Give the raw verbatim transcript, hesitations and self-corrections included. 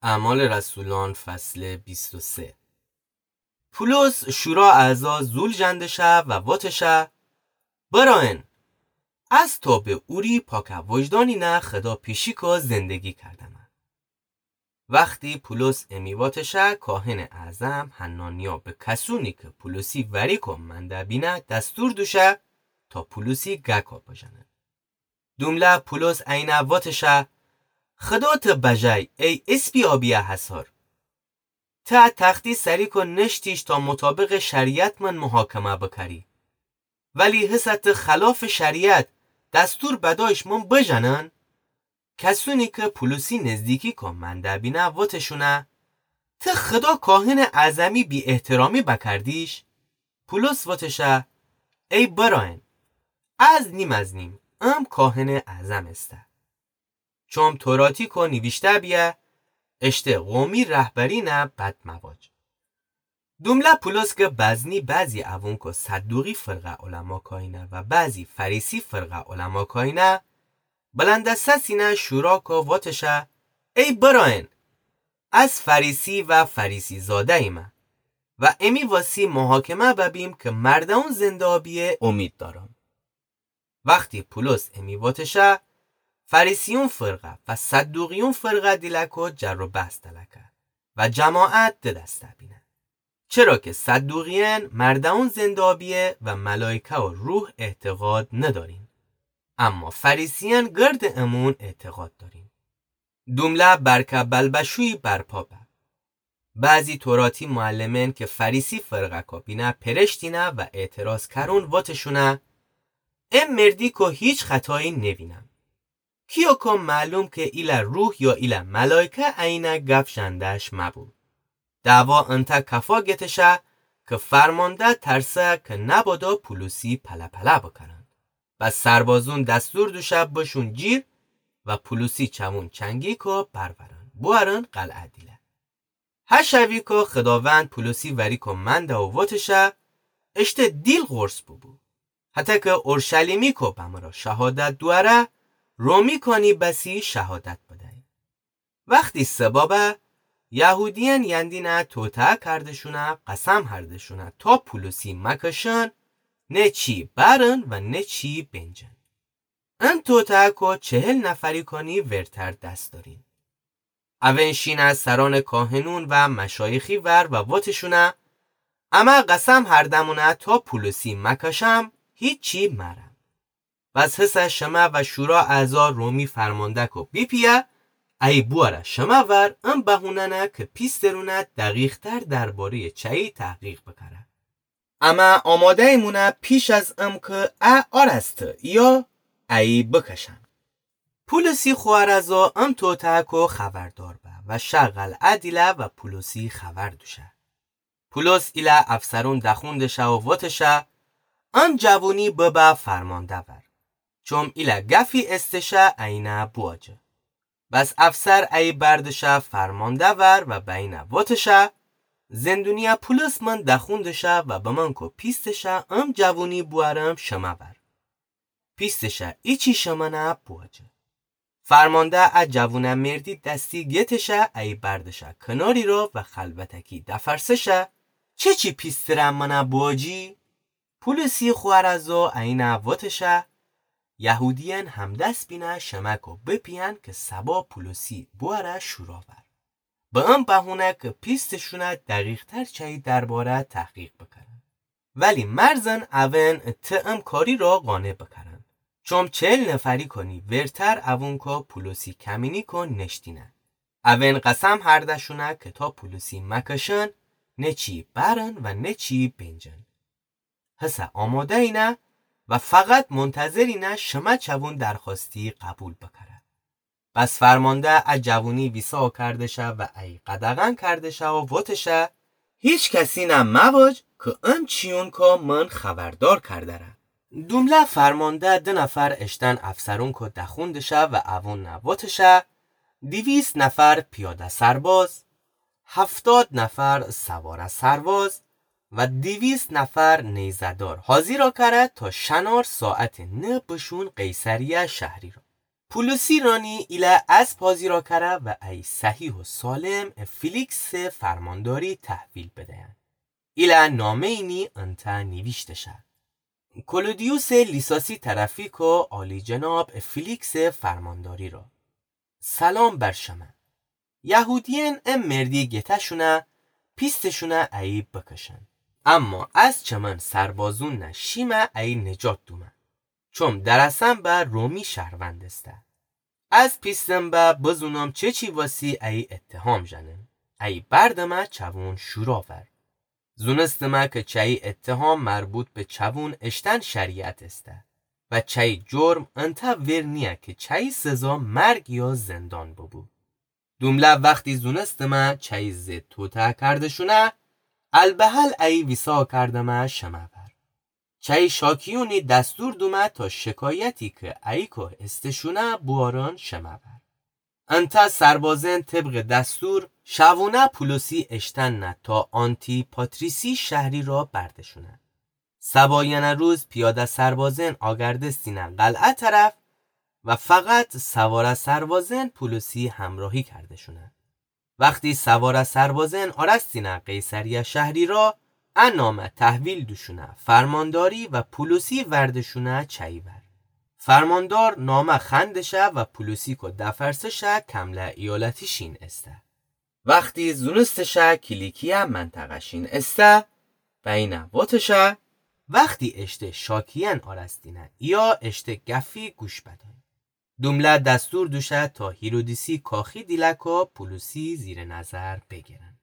اعمال رسولان، فصل بیست و سه. پولس شورا اعضا زول ژندشه و وتشه: برأین، از توبه اوری پاک وجدانینه خدا پیشی کو زندگی کردمه. وختی پولس امی وتشه، کاهن اعظم حنانیا به کسونی که پولسی وری کو منده بینه دستور دوشه تا پولسی گکا بژنه. دومله پولس اینه وتشه: خدا ته بجای ای اسپی آبیه حصار! ته تختی سری کو نشتیش تا مطابق شریعت من محاکمه بکری. ولی هسه ته خلاف شریعت دستور بدایش من بژنن؟ کسونی که پولسی نزدیکی کو منده بینه وتشونه: ته خدا کاهن اعظمی بی احترامی بکردیش؟ پولس وتشه: ای برأین، از نیم از نیم ام کاهن اعظم استه. چوم توراتی کو نیویشته بیه: اشته قومی رهبرینه بد مواج. دومله پولس که بزنی بعضی اوون کو صدوقی فرقه علما کاینه و بعضی فریسی فرقه علما کاینه، بلند سسینه شورا کو وتشه: ای برأین، از فریسی و فریسی زاده ایمه و امی واسی محاکمه ببیم که مردون زنده آبیه امید دارم. وختی پولس امی وتشه، فریسیون فرقه و صدوقیون فرقه دیله کو جر و بحث دلکه و جماعت دو دسته بینه. چرا که صدوقیان مردون زنده آبیه و ملائکه و روح اعتقاد ندارین، اما فریسیان گرد امون اعتقاد دارین. دومله برکه بلبشویی برپا به. بعضی توراتی معلمین که فریسی فرقه کو بینه پرشتینه و اعتراض کرون وتشونه: ام مردی کو هیچ خطایی نوینم. کیو کو معلوم که ایله روح یا ایله ملائکه اینه گف ژنده‌ش مبو. دعوا انته کفا گتشه که فرمانده ترسه که نبادا پولسی پله پله بکرن. بس سربازون دستور دوشه بشون جیر و پولسی چوون چنگی کو برورن، بوارن قلعه دیله. هه شوی کو خداوند پولسی وری کو منده و وتشه: اشته دیل قرص ببو. حتی که اورشلیمی کو بمره شهادت دواره، رومی کانی بسی شهادت بدهی. وختی صبا به، یهودیان یندینه توطئه کردشونه، قسم هردشونه تا پولسی مکشن، نه چی برن و نه چی بنجن. ان توطئه کو چهل نفری کانی ورتر دس دارین. اون شینه سران کاهنون و مشایخی ور و وتشونه: امه قسم هردمونه تا پولسی مکشم، هیچی مرم. بس هسه شمه و شورا اعضا رومی فرمانده کو بیپیه، ای بواره شمه ور، ان بهونه‌نه که پیسترونه دقیق‌تر درباره‌ی چایی تحقیق بکره. امه آماده‌ییمونه پیش از ام که ا آراسته یا ایی بکشن. پولسی خوارزا ام توطئه کو خبردار به و شه قلعه دیله و پولسی خبر دوشه. پولس ایله افسرون دخون دشه و وتشه: ان جوونی ببه فرمانده ور، چوم ایله گفی استشه اینه بواجه. بس افسر ایی بردشه فرمانده ور و به اینه وتشه: زندونیه پولس من دخون دشه و بمن کو پیستشه ام جوونی بوارم شمه ور. پیستشه ایچی شمنه بواجه. فرمانده ا جوونه مردی دستی گتشه ایی بردشه کناری را و خلوتکی دفرسشه: چه چی پیستره منه بواجی؟ پولسی خوارزا اینه وتشه: یهودیان همدس بینه شمه کو بپیین که صبا پولسی بواره شورا ور. به ان بهونه که پیستشونه دقیق‌تر چایی درباره تحقیق بکرن. ولی مرزن اون ته ام کاری را قانع بکرن. چوم چهل نفری کانی ورتر اون کو پولسی کمینی کو نشتینه. اون قسم هردشونه که تا پولسی مکشن، نه چی برن و نه چی بنجن. هسه آماده‌ینه و فقط منتظرینه شمه چوون درخواستی قبول بکره. بس فرمانده ا جوونی ویسا کردشه و ای قدغن کردشه و وتشه: هیچ کسینه مواج که ان چیون کو من خبردار کردره. دومله فرمانده ده نفر اشتن افسرون کو دخون دشه و اوون وتشه: دویست نفر پیاده سرباز، هفتاد نفر سواره سرباز و دویست نفر نیزه‌دار حاضیرا کره تا شنار ساعت نه بشون قیصریه شهری را. پولوسی رانی ایله اسب حاضیرا کره و ای صحیح و سالم ا فیلیکس فرمانداری تحویل بدین. ایله نامه‌یینی انتأ نیویشته شه: کلودیوس لیساسی طرفی کو عالی‌جناب ا فیلیکس فرمانداری را. سلام بر شمه. یهودیین ا مردی گته‌شونه، پیسته‌شونه ایی بکشن. اما از چمن سربازون نه شیمه ایی نجات دومه. چوم درسم به رومی شهروند استه. از پیستم به بزونم چه چی واسی ایی اتهام ژنم. ایی بردمه چوون شورا ور. زونستمه که چایی اتهام مربوط به چوون اشتن شریعت استه و چایی جرم انتأ ور نیه که چایی سزا مرگ یا زندان ببو. دومله وختی زونستمه چایی زد توطئه کرده‌شونه، البهل ایی ویسا کردمه شمه ور. چایی شاکیونی دستور دومه تا شکایتی که ایی کاه استشونه بوارن شمه ور. انتأ سربازن طبق دستور شوونه پولوسی اشتن نه تا آنتی‌پاتریسی شهری را برده‌شونه. سبایأنه روز پیاده سربازن آگردستینه قلعه طرف و فقط سواره سربازن پولوسی همراهی کرده‌شونه. وختی سواره سربازن آرستینه قیصریه شهری را، ا نامه تحویل دوشونه فرمانداری و پولوسی ورده‌شونه چایی ور. فرماندار نامه خوأنده‌شه و پولوسی کو دفرسه‌شه کمله ایالتی شین استه. وختی زونسته‌شه کیلیکیه منطقه شین استه، بینه ووتشه، وختی اشته شاکیأن آرستینه ایه اشته گفی گوش بدن. دومله دستور دوشه تا هیرودیسی کاخی دیله کو پولوسی زیر نظر بگیرن.